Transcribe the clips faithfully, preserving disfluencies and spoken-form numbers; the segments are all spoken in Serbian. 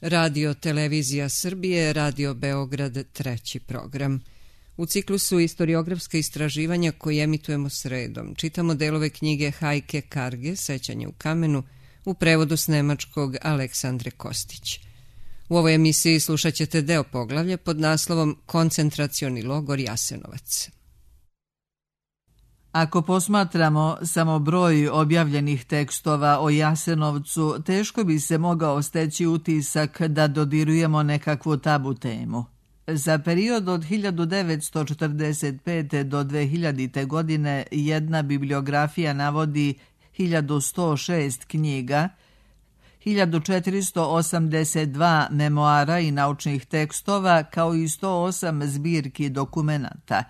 Radio Televizija Srbije, Radio Beograd, treći program. U ciklusu Istoriografska istraživanja koji emitujemo sredom čitamo delove knjige Hajke Karge, Sećanje u kamenu, u prevodu s nemačkog Aleksandre Kostić. U ovoj emisiji slušat ćete deo poglavlja pod naslovom Koncentracioni logor Jasenovac. Ako posmatramo samo broj objavljenih tekstova o Jasenovcu, teško bi se mogao steći utisak da dodirujemo nekakvu tabu temu. Za period od hiljadu devetsto četrdeset pete. do dve hiljadite. godine jedna bibliografija navodi hiljadu sto šest knjiga, hiljadu četiristo osamdeset dva memoara i naučnih tekstova, kao i sto osam zbirki dokumenata.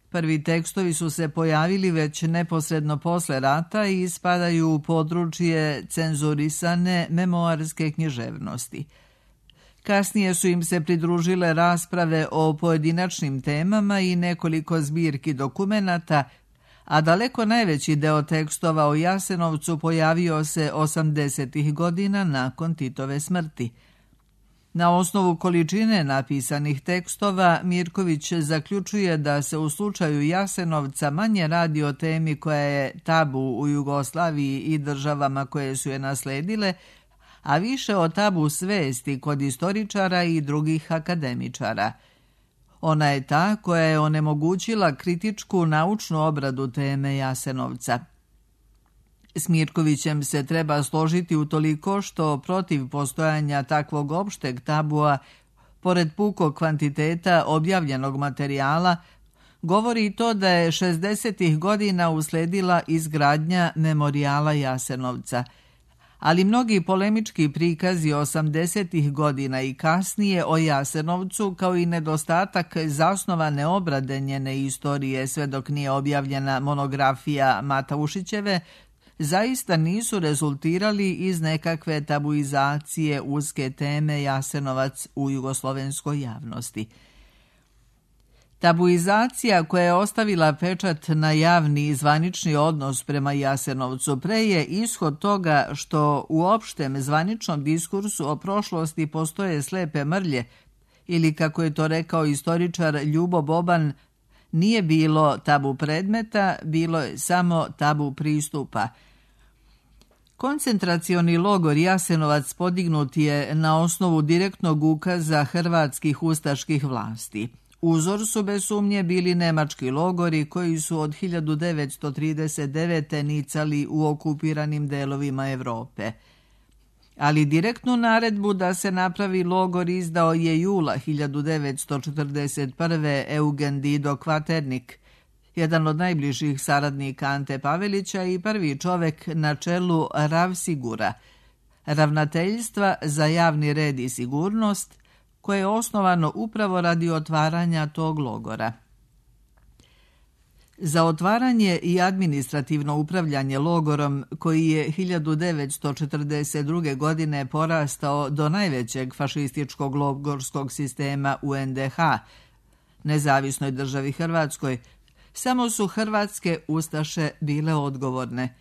Prvi tekstovi su se pojavili već neposredno posle rata i spadaju u područje cenzurisane memoarske književnosti. Kasnije su im se pridružile rasprave o pojedinačnim temama i nekoliko zbirki dokumenata, a daleko najveći deo tekstova o Jasenovcu pojavio se osamdesetih godina nakon Titove smrti. Na osnovu količine napisanih tekstova, Mirković zaključuje da se u slučaju Jasenovca manje radi o temi koja je tabu u Jugoslaviji i državama koje su je nasledile, a više o tabu svesti kod istoričara i drugih akademičara. Ona je ta koja je onemogućila kritičku naučnu obradu teme Jasenovca. S Mirkovićem se treba složiti utoliko što protiv postojanja takvog opšteg tabua, pored pukog kvantiteta objavljenog materijala, govori i to da je šezdesetih godina usledila izgradnja memorijala Jasenovca. Ali mnogi polemički prikazi osamdesetih godina i kasnije o Jasenovcu, kao i nedostatak zasnovane obrade njene istorije sve dok nije objavljena monografija Mataušićeve, zaista nisu rezultirali iz nekakve tabuizacije uske teme Jasenovac u jugoslovenskoj javnosti. Tabuizacija koja je ostavila pečat na javni i zvanični odnos prema Jasenovcu pre je ishod toga što u opštem zvaničnom diskursu o prošlosti postoje slepe mrlje, ili kako je to rekao istoričar Ljubo Boban, nije bilo tabu predmeta, bilo je samo tabu pristupa. Koncentracioni logor Jasenovac podignut je na osnovu direktnog ukaza hrvatskih ustaških vlasti. Uzor su bez sumnje bili nemački logori koji su od hiljadu devetsto trideset devete. nicali u okupiranim delovima Evrope. Ali direktnu naredbu da se napravi logor izdao je jula hiljadu devetsto četrdeset prve. Eugen Dido Kvaternik, jedan od najbližih saradnika Ante Pavelića i prvi čovek na čelu Ravsigura, ravnateljstva za javni red i sigurnost, koje je osnovano upravo radi otvaranja tog logora. Za otvaranje i administrativno upravljanje logorom, koji je hiljadu devetsto četrdeset druge. godine porastao do najvećeg fašističkog logorskog sistema u en de ha, nezavisnoj državi Hrvatskoj, samo su hrvatske ustaše bile odgovorne.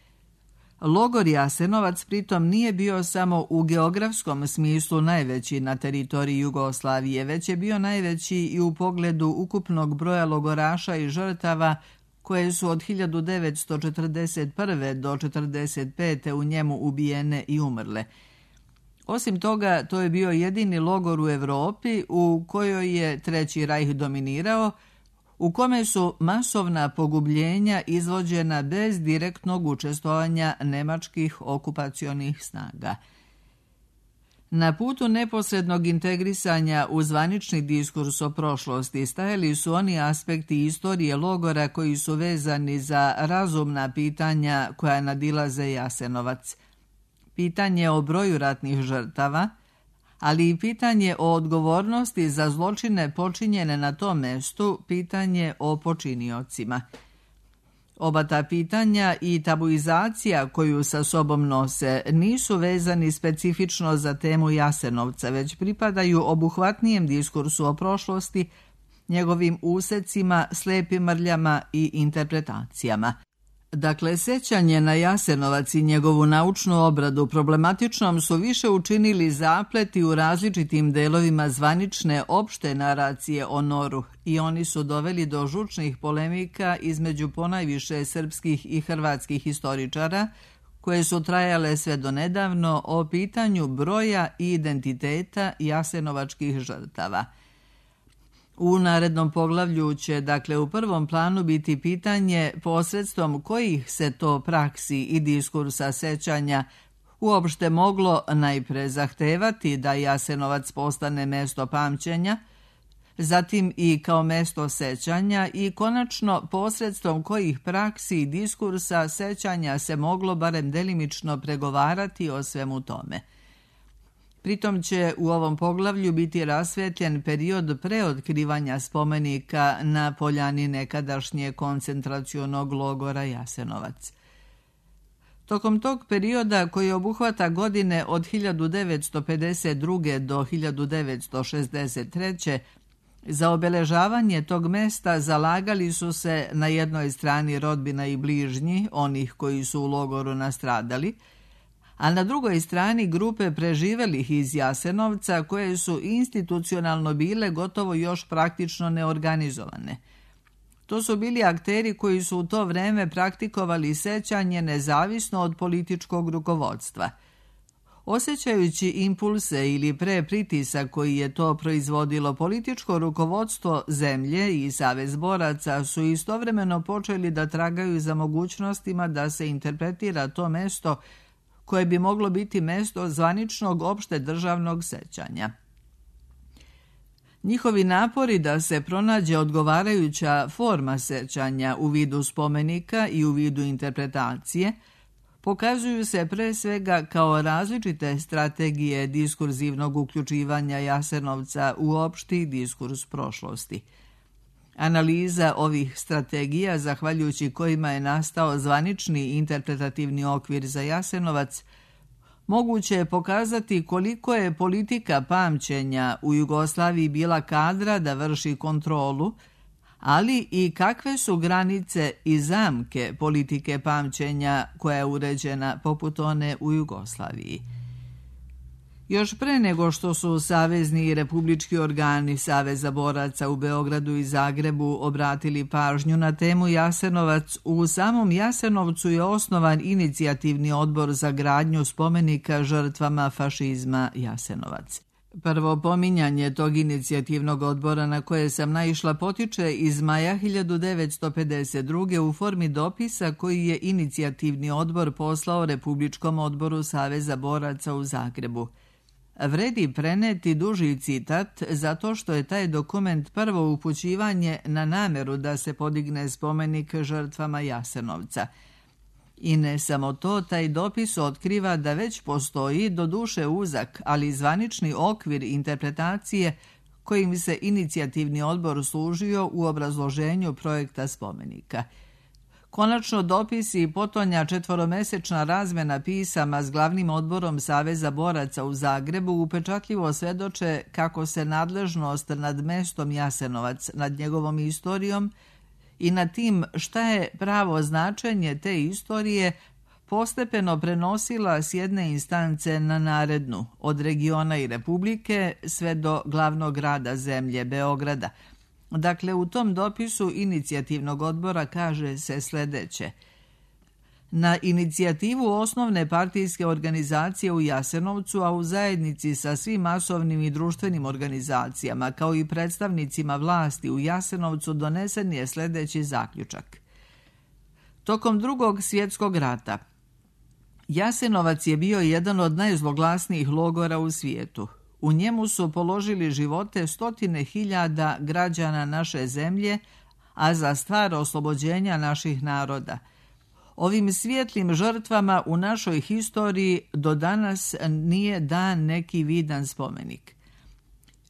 Logor Jasenovac pritom nije bio samo u geografskom smislu najveći na teritoriji Jugoslavije, već je bio najveći i u pogledu ukupnog broja logoraša i žrtava koje su od hiljadu devetsto četrdeset prve. do četrdeset pete. u njemu ubijene i umrle. Osim toga, to je bio jedini logor u Evropi u kojoj je Treći rajh dominirao, u kome su masovna pogubljenja izvođena bez direktnog učestvovanja nemačkih okupacionih snaga. Na putu neposrednog integrisanja u zvanični diskurs o prošlosti stajali su oni aspekti istorije logora koji su vezani za razumna pitanja koja nadilaze Jasenovac. Pitanje o broju ratnih žrtava, ali i pitanje o odgovornosti za zločine počinjene na tom mestu, pitanje o počiniocima. Oba ta pitanja i tabuizacija koju sa sobom nose nisu vezani specifično za temu Jasenovca, već pripadaju obuhvatnijem diskursu o prošlosti, njegovim usecima, slepim mrljama i interpretacijama. Dakle, sećanje na Jasenovac i njegovu naučnu obradu problematičnom su više učinili zapleti u različitim delovima zvanične opšte naracije o Noru i oni su doveli do žučnih polemika između ponajviše srpskih i hrvatskih historičara, koje su trajale sve do nedavno o pitanju broja i identiteta jasenovačkih žrtava. U narednom poglavlju će, dakle, u prvom planu biti pitanje posredstvom kojih se to praksi i diskursa sećanja uopšte moglo najpre zahtevati da Jasenovac postane mesto pamćenja, zatim i kao mesto sećanja i konačno posredstvom kojih praksi i diskursa sećanja se moglo barem delimično pregovarati o svemu tome. Pritom će u ovom poglavlju biti rasvetljen period preotkrivanja spomenika na poljani nekadašnje koncentracionog logora Jasenovac. Tokom tog perioda, koji obuhvata godine od hiljadu devetsto pedeset druge. do hiljadu devetsto šezdeset treće. za obeležavanje tog mesta zalagali su se na jednoj strani rodbina i bližnji, onih koji su u logoru nastradali, a na drugoj strani grupe preživelih iz Jasenovca koje su institucionalno bile gotovo još praktično neorganizovane. To su bili akteri koji su u to vreme praktikovali sećanje nezavisno od političkog rukovodstva. Osjećajući impulse ili pre pritisak koji je to proizvodilo, političko rukovodstvo zemlje i Savez boraca su istovremeno počeli da tragaju za mogućnostima da se interpretira to mesto koje bi moglo biti mesto zvaničnog opšte državnog sećanja. Njihovi napori da se pronađe odgovarajuća forma sećanja u vidu spomenika i u vidu interpretacije pokazuju se pre svega kao različite strategije diskurzivnog uključivanja Jasenovca u opšti diskurs prošlosti. Analiza ovih strategija, zahvaljujući kojima je nastao zvanični interpretativni okvir za Jasenovac, moguće je pokazati koliko je politika pamćenja u Jugoslaviji bila kadra da vrši kontrolu, ali i kakve su granice i zamke politike pamćenja koja je uređena poput one u Jugoslaviji. Još pre nego što su savezni i republički organi Saveza boraca u Beogradu i Zagrebu obratili pažnju na temu Jasenovac, u samom Jasenovcu je osnovan inicijativni odbor za gradnju spomenika žrtvama fašizma Jasenovac. Prvo pominjanje tog inicijativnog odbora na koje sam naišla potiče iz maja hiljadu devetsto pedeset druge. u formi dopisa koji je inicijativni odbor poslao Republičkom odboru Saveza boraca u Zagrebu. Vredi preneti duži citat zato što je taj dokument prvo upućivanje na nameru da se podigne spomenik žrtvama Jasenovca. I ne samo to, taj dopis otkriva da već postoji, doduše uzak, ali zvanični okvir interpretacije kojim se inicijativni odbor služio u obrazloženju projekta spomenika. Konačno, dopis i potonja četvoromesečna razmena pisama s glavnim odborom Saveza boraca u Zagrebu upečatljivo svedoče kako se nadležnost nad mestom Jasenovac, nad njegovom istorijom i nad tim šta je pravo značenje te istorije postepeno prenosila s jedne instance na narednu, od regiona i republike sve do glavnog grada zemlje, Beograda. Dakle, u tom dopisu inicijativnog odbora kaže se sledeće. Na inicijativu osnovne partijske organizacije u Jasenovcu, a u zajednici sa svim masovnim i društvenim organizacijama, kao i predstavnicima vlasti u Jasenovcu, donesen je sledeći zaključak. Tokom Drugog svjetskog rata, Jasenovac je bio jedan od najzloglasnijih logora u svijetu. U njemu su položili živote stotine hiljada građana naše zemlje, a za stvar oslobođenja naših naroda. Ovim svijetlim žrtvama u našoj historiji do danas nije dan neki vidan spomenik.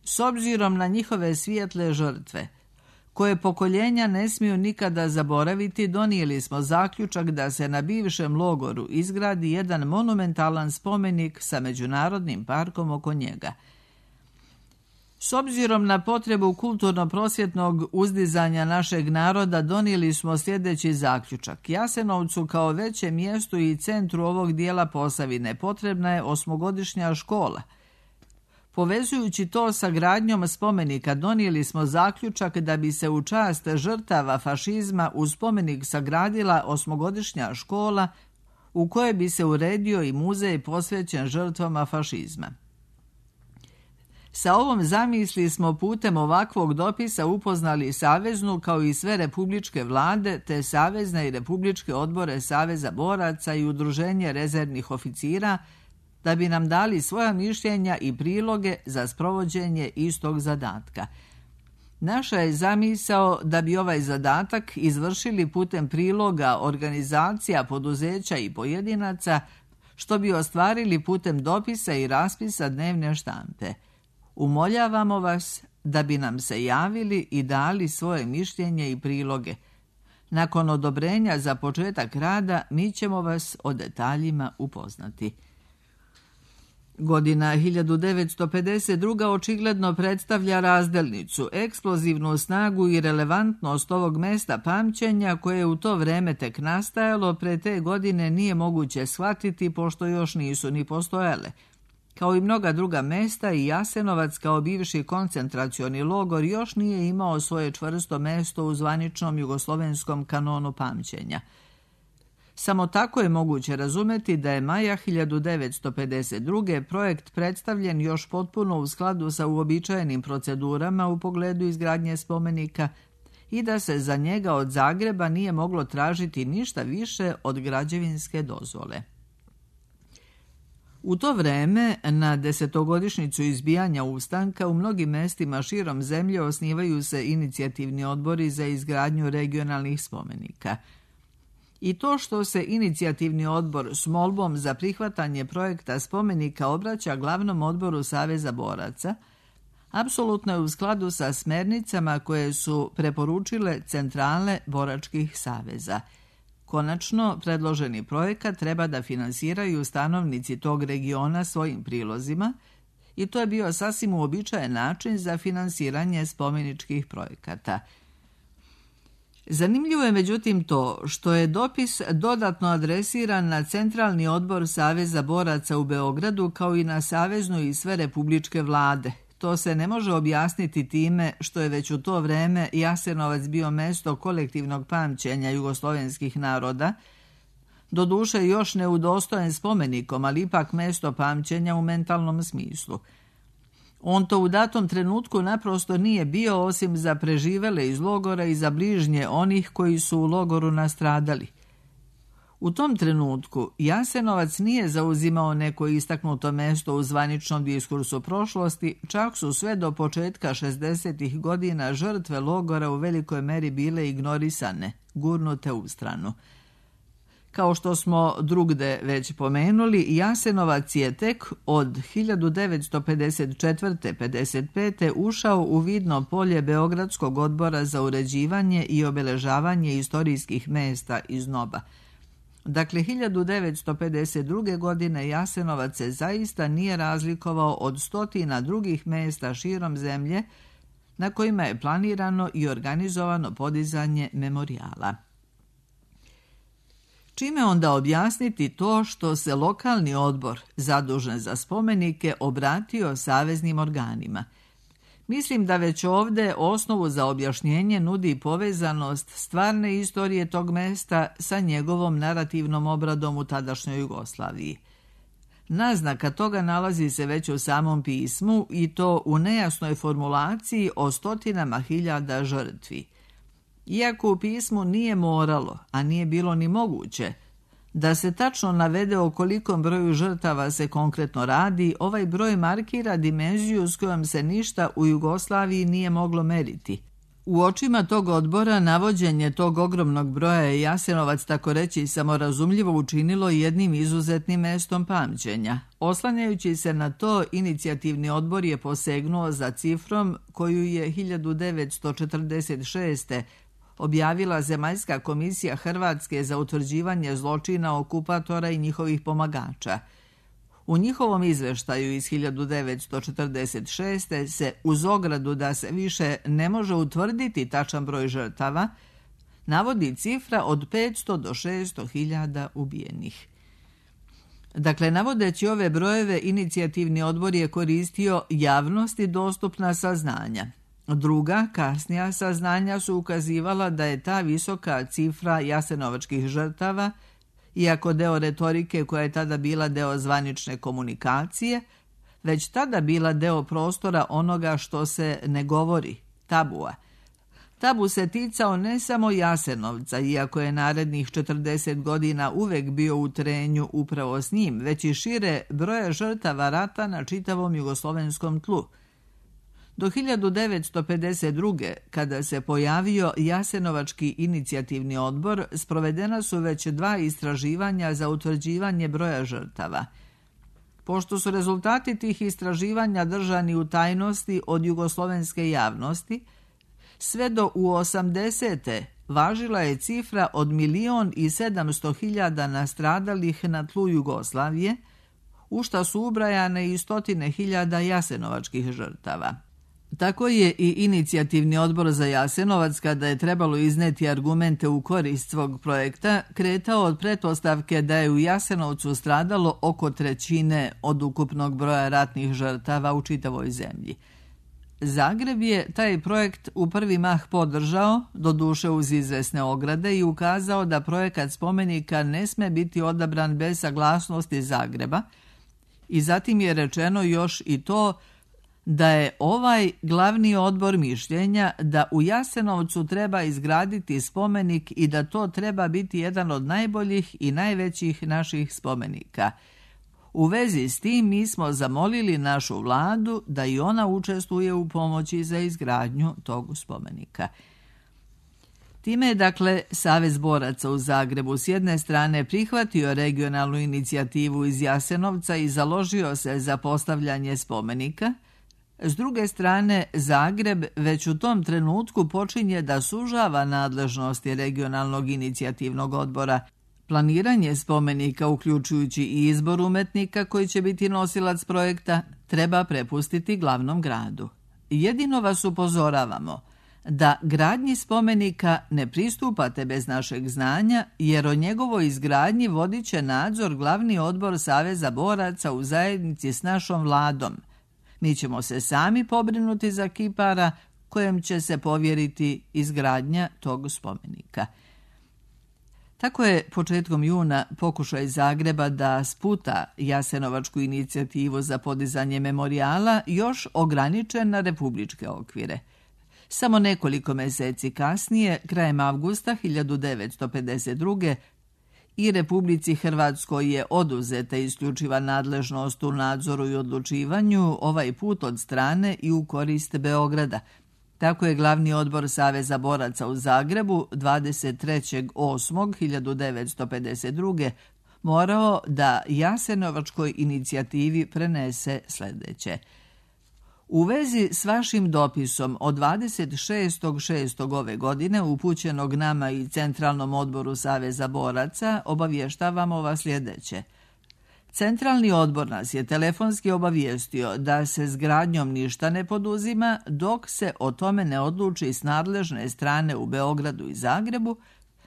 S obzirom na njihove svijetle žrtve, koje pokoljenja ne smiju nikada zaboraviti, donijeli smo zaključak da se na bivšem logoru izgradi jedan monumentalan spomenik sa međunarodnim parkom oko njega. S obzirom na potrebu kulturno-prosvjetnog uzdizanja našeg naroda, donijeli smo sljedeći zaključak. Jasenovcu kao većem mjestu i centru ovog dijela Posavine potrebna je osmogodišnja škola. Povezujući to sa gradnjom spomenika, donijeli smo zaključak da bi se u čast žrtava fašizma u spomenik sagradila osmogodišnja škola u kojoj bi se uredio i muzej posvećen žrtvama fašizma. Sa ovom zamisli smo putem ovakvog dopisa upoznali Saveznu kao i sve republičke vlade te Savezne i republičke odbore Saveza boraca i Udruženje rezervnih oficira da bi nam dali svoja mišljenja i priloge za sprovođenje istog zadatka. Naša je zamisao da bi ovaj zadatak izvršili putem priloga organizacija, poduzeća i pojedinaca, što bi ostvarili putem dopisa i raspisa dnevne štampe. Umoljavamo vas da bi nam se javili i dali svoje mišljenje i priloge. Nakon odobrenja za početak rada, mi ćemo vas o detaljima upoznati. Godina hiljadu devetsto pedeset druga očigledno predstavlja razdelnicu, eksplozivnu snagu i relevantnost ovog mesta pamćenja koje je u to vreme tek nastajalo, pre te godine nije moguće shvatiti pošto još nisu ni postojale. Kao i mnoga druga mesta, i Jasenovac kao bivši koncentracioni logor još nije imao svoje čvrsto mesto u zvaničnom jugoslovenskom kanonu pamćenja. Samo tako je moguće razumeti da je maja hiljadu devetsto pedeset druge projekt predstavljen još potpuno u skladu sa uobičajenim procedurama u pogledu izgradnje spomenika i da se za njega od Zagreba nije moglo tražiti ništa više od građevinske dozvole. U to vreme, na desetogodišnjicu izbijanja ustanka, u mnogim mestima širom zemlje osnivaju se inicijativni odbori za izgradnju regionalnih spomenika. I to što se inicijativni odbor s molbom za prihvatanje projekta spomenika obraća glavnom odboru Saveza boraca, apsolutno je u skladu sa smernicama koje su preporučile centrale boračkih saveza. Konačno, predloženi projekat treba da finansiraju stanovnici tog regiona svojim prilozima i to je bio sasvim uobičajen način za finansiranje spomeničkih projekata. Zanimljivo je međutim to što je dopis dodatno adresiran na Centralni odbor Saveza boraca u Beogradu kao i na Saveznu i sve republičke vlade. To se ne može objasniti time što je već u to vreme Jasenovac bio mesto kolektivnog pamćenja jugoslovenskih naroda, doduše još neudostojen spomenikom, ali ipak mesto pamćenja u mentalnom smislu. On to u datom trenutku naprosto nije bio osim za preživele iz logora i za bližnje onih koji su u logoru nastradali. U tom trenutku Jasenovac nije zauzimao neko istaknuto mesto u zvaničnom diskursu prošlosti, čak su sve do početka šezdesetih godina žrtve logora u velikoj meri bile ignorisane, gurnute u stranu. Kao što smo drugde već pomenuli, Jasenovac je tek od hiljadu devetsto pedeset četvrte do pedeset pete ušao u vidno polje Beogradskog odbora za uređivanje i obeležavanje istorijskih mesta iz N O B A. Dakle, hiljadu devetsto pedeset druge. godine Jasenovac se zaista nije razlikovao od stotina drugih mesta širom zemlje na kojima je planirano i organizovano podizanje memorijala. Čime onda objasniti to što se lokalni odbor, zadužen za spomenike, obratio saveznim organima? Mislim da već ovdje osnovu za objašnjenje nudi povezanost stvarne istorije tog mesta sa njegovom narativnom obradom u tadašnjoj Jugoslaviji. Naznaka toga nalazi se već u samom pismu i to u nejasnoj formulaciji o stotinama hiljada žrtvi. Iako u pismu nije moralo, a nije bilo ni moguće, da se tačno navede o kolikom broju žrtava se konkretno radi, ovaj broj markira dimenziju s kojom se ništa u Jugoslaviji nije moglo meriti. U očima tog odbora navođenje tog ogromnog broja je Jasenovac, tako reći, samorazumljivo učinilo jednim izuzetnim mestom pamćenja. Oslanjajući se na to, inicijativni odbor je posegnuo za cifrom koju je hiljadu devetsto četrdeset šeste. objavila Zemaljska komisija Hrvatske za utvrđivanje zločina okupatora i njihovih pomagača. U njihovom izveštaju iz hiljadu devetsto četrdeset šeste se uz ogradu da se više ne može utvrditi tačan broj žrtava, navodi cifra od petsto do šesto hiljada ubijenih. Dakle, navodeći ove brojeve, inicijativni odbor je koristio javnosti dostupna saznanja. Druga, kasnija saznanja su ukazivala da je ta visoka cifra jasenovačkih žrtava, iako deo retorike koja je tada bila deo zvanične komunikacije, već tada bila deo prostora onoga što se ne govori, tabua. Tabu se ticao ne samo Jasenovca, iako je narednih četrdeset godina uvek bio u trenju upravo s njim, već i šire broja žrtava rata na čitavom jugoslovenskom tlu. Do hiljadu devetsto pedeset druge. kada se pojavio Jasenovački inicijativni odbor, sprovedena su već dva istraživanja za utvrđivanje broja žrtava. Pošto su rezultati tih istraživanja držani u tajnosti od jugoslovenske javnosti, sve do u osamdesete važila je cifra od milion i sedamsto hiljada nastradalih na tlu Jugoslavije, u šta su ubrajane i stotine hiljada jasenovačkih žrtava. Tako je i inicijativni odbor za Jasenovac, kada je trebalo izneti argumente u korist svog projekta, kretao od pretpostavke da je u Jasenovcu stradalo oko trećine od ukupnog broja ratnih žrtava u čitavoj zemlji. Zagreb je taj projekt u prvi mah podržao, doduše uz izvesne ograde, i ukazao da projekat spomenika ne sme biti odabran bez saglasnosti Zagreba, i zatim je rečeno još i to da je ovaj glavni odbor mišljenja da u Jasenovcu treba izgraditi spomenik i da to treba biti jedan od najboljih i najvećih naših spomenika. U vezi s tim mi smo zamolili našu vladu da i ona učestvuje u pomoći za izgradnju tog spomenika. Time je, dakle, Savez boraca u Zagrebu s jedne strane prihvatio regionalnu inicijativu iz Jasenovca i založio se za postavljanje spomenika. S druge strane, Zagreb već u tom trenutku počinje da sužava nadležnosti regionalnog inicijativnog odbora. Planiranje spomenika, uključujući i izbor umetnika koji će biti nosilac projekta, treba prepustiti glavnom gradu. Jedino vas upozoravamo da gradnji spomenika ne pristupate bez našeg znanja, jer o njegovoj izgradnji vodit će nadzor glavni odbor Saveza boraca u zajednici s našom vladom. Mi ćemo se sami pobrinuti za kipara kojem će se povjeriti izgradnja tog spomenika. Tako je početkom juna pokušaj Zagreba da sputa Jasenovačku inicijativu za podizanje memorijala još ograničen na republičke okvire. Samo nekoliko meseci kasnije, krajem avgusta hiljadu devetsto pedeset druge. i Republici Hrvatskoj je oduzeta isključiva nadležnost u nadzoru i odlučivanju, ovaj put od strane i u korist Beograda. Tako je glavni odbor Saveza boraca u Zagrebu dvadeset trećeg osmog hiljadu devetsto pedeset druge. morao da Jasenovačkoj inicijativi prenese sljedeće. U vezi s vašim dopisom od dvadeset šestog šestog ove godine upućenog nama i Centralnom odboru Saveza boraca obavještavamo vas sljedeće. Centralni odbor nas je telefonski obavijestio da se s gradnjom ništa ne poduzima dok se o tome ne odluči s nadležne strane u Beogradu i Zagrebu,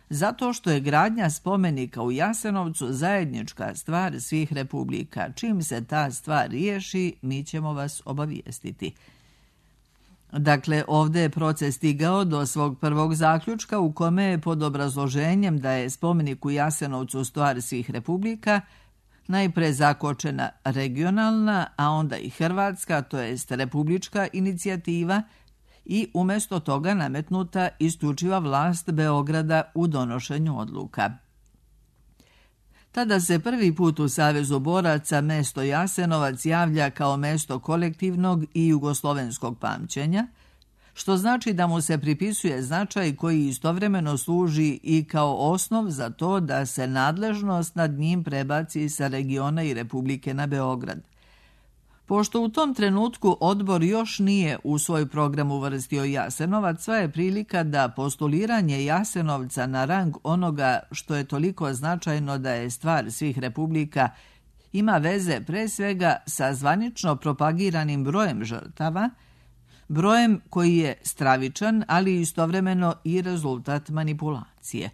zato što je gradnja spomenika u Jasenovcu zajednička stvar svih republika. Čim se ta stvar riješi, mi ćemo vas obavijestiti. Dakle, ovdje je proces stigao do svog prvog zaključka u kome je pod obrazloženjem da je spomenik u Jasenovcu stvar svih republika najpre zakočena regionalna, a onda i hrvatska, to jest republička inicijativa, i umjesto toga nametnuta isključiva vlast Beograda u donošenju odluka. Tada se prvi put u Savezu boraca mesto Jasenovac javlja kao mesto kolektivnog i jugoslovenskog pamćenja, što znači da mu se pripisuje značaj koji istovremeno služi i kao osnov za to da se nadležnost nad njim prebaci sa regiona i republike na Beograd. Pošto u tom trenutku odbor još nije u svoj program uvrstio Jasenovac, sva je prilika da postuliranje Jasenovca na rang onoga što je toliko značajno da je stvar svih republika ima veze pre svega sa zvanično propagiranim brojem žrtava, brojem koji je stravičan, ali istovremeno i rezultat manipulacije.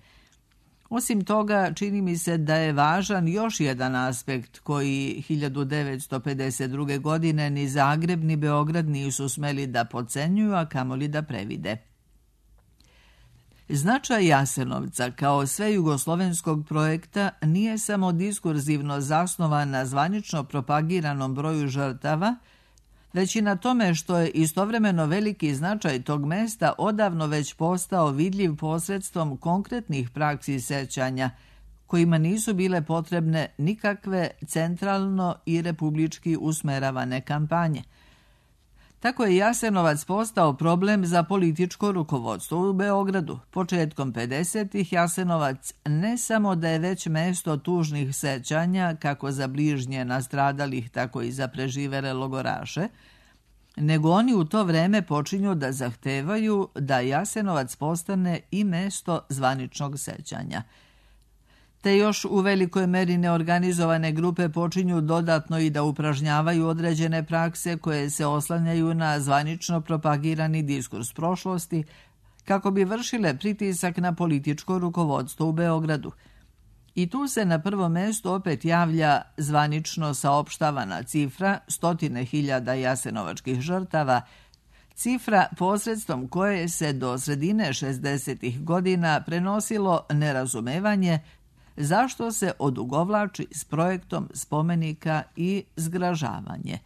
Osim toga, čini mi se da je važan još jedan aspekt koji hiljadu devetsto pedeset druge. godine ni Zagreb ni Beograd nisu smeli da podcenjuju, a kamoli da previde. Značaj Jasenovca kao svejugoslovenskog projekta nije samo diskurzivno zasnovan na zvanično propagiranom broju žrtava, već i na tome što je istovremeno veliki značaj tog mesta odavno već postao vidljiv posredstvom konkretnih praksi sećanja, kojima nisu bile potrebne nikakve centralno i republički usmeravane kampanje. Tako je Jasenovac postao problem za političko rukovodstvo u Beogradu. Početkom pedesetih Jasenovac ne samo da je već mesto tužnih sećanja, kako za bližnje nastradalih, tako i za preživele logoraše, nego oni u to vreme počinju da zahtevaju da Jasenovac postane i mesto zvaničnog sećanja. Te još u velikoj meri neorganizovane grupe počinju dodatno i da upražnjavaju određene prakse koje se oslanjaju na zvanično propagirani diskurs prošlosti, kako bi vršile pritisak na političko rukovodstvo u Beogradu. I tu se na prvo mesto opet javlja zvanično saopštavana cifra stotine hiljada jasenovačkih žrtava, cifra posredstvom koje se do sredine šezdesetih godina prenosilo nerazumevanje zašto se odugovlači s projektom spomenika i zgražavanje.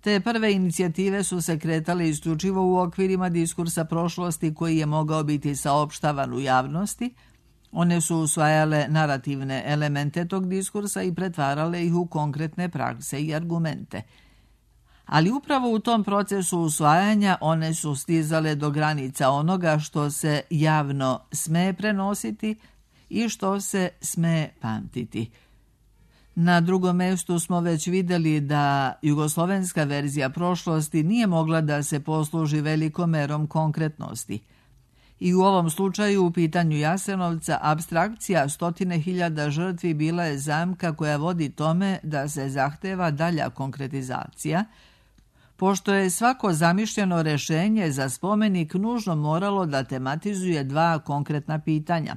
Te prve inicijative su se kretale isključivo u okvirima diskursa prošlosti koji je mogao biti saopštavan u javnosti. One su usvajale narativne elemente tog diskursa i pretvarale ih u konkretne prakse i argumente. Ali upravo u tom procesu usvajanja one su stizale do granica onoga što se javno sme prenositi i što se sme pamtiti. Na drugom mjestu smo već vidjeli da jugoslovenska verzija prošlosti nije mogla da se posluži velikom merom konkretnosti. I u ovom slučaju u pitanju Jasenovca apstrakcija stotine hiljada žrtvi bila je zamka koja vodi tome da se zahteva dalja konkretizacija, pošto je svako zamišljeno rešenje za spomenik nužno moralo da tematizuje dva konkretna pitanja.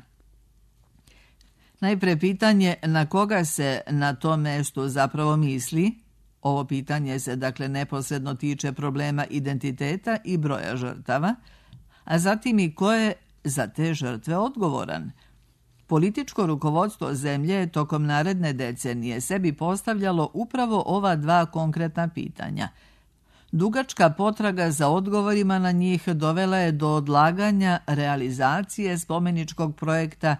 Najpre pitanje na koga se na tom mestu zapravo misli. Ovo pitanje se dakle neposredno tiče problema identiteta i broja žrtava, a zatim i ko je za te žrtve odgovoran. Političko rukovodstvo zemlje je tokom naredne decenije sebi postavljalo upravo ova dva konkretna pitanja. Dugačka potraga za odgovorima na njih dovela je do odlaganja realizacije spomeničkog projekta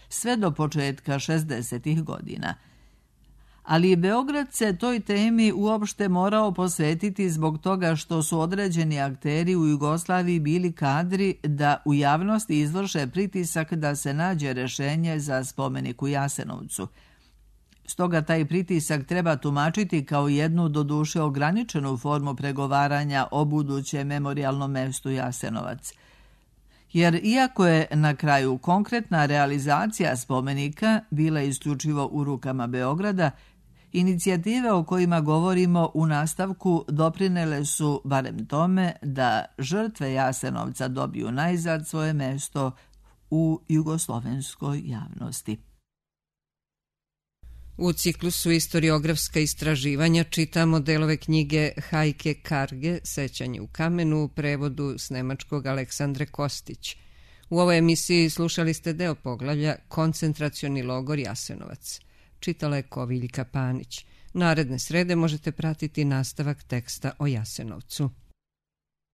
sve do početka šezdesetih godina. Ali Beograd se toj temi uopšte morao posvetiti zbog toga što su određeni akteri u Jugoslaviji bili kadri da u javnosti izvrše pritisak da se nađe rešenje za spomenik u Jasenovcu. Stoga taj pritisak treba tumačiti kao jednu doduše ograničenu formu pregovaranja o budućem memorijalnom mestu Jasenovac. Jer iako je na kraju konkretna realizacija spomenika bila isključivo u rukama Beograda, inicijative o kojima govorimo u nastavku doprinele su barem tome da žrtve Jasenovca dobiju najzad svoje mesto u jugoslovenskoj javnosti. U ciklusu Istoriografska istraživanja čitamo delove knjige Hajke Karge, Sećanje u kamenu, u prevodu s nemačkog Aleksandre Kostić. U ovoj emisiji slušali ste deo poglavlja Koncentracioni logor Jasenovac. Čitala je Koviljka Panić. Naredne srede možete pratiti nastavak teksta o Jasenovcu.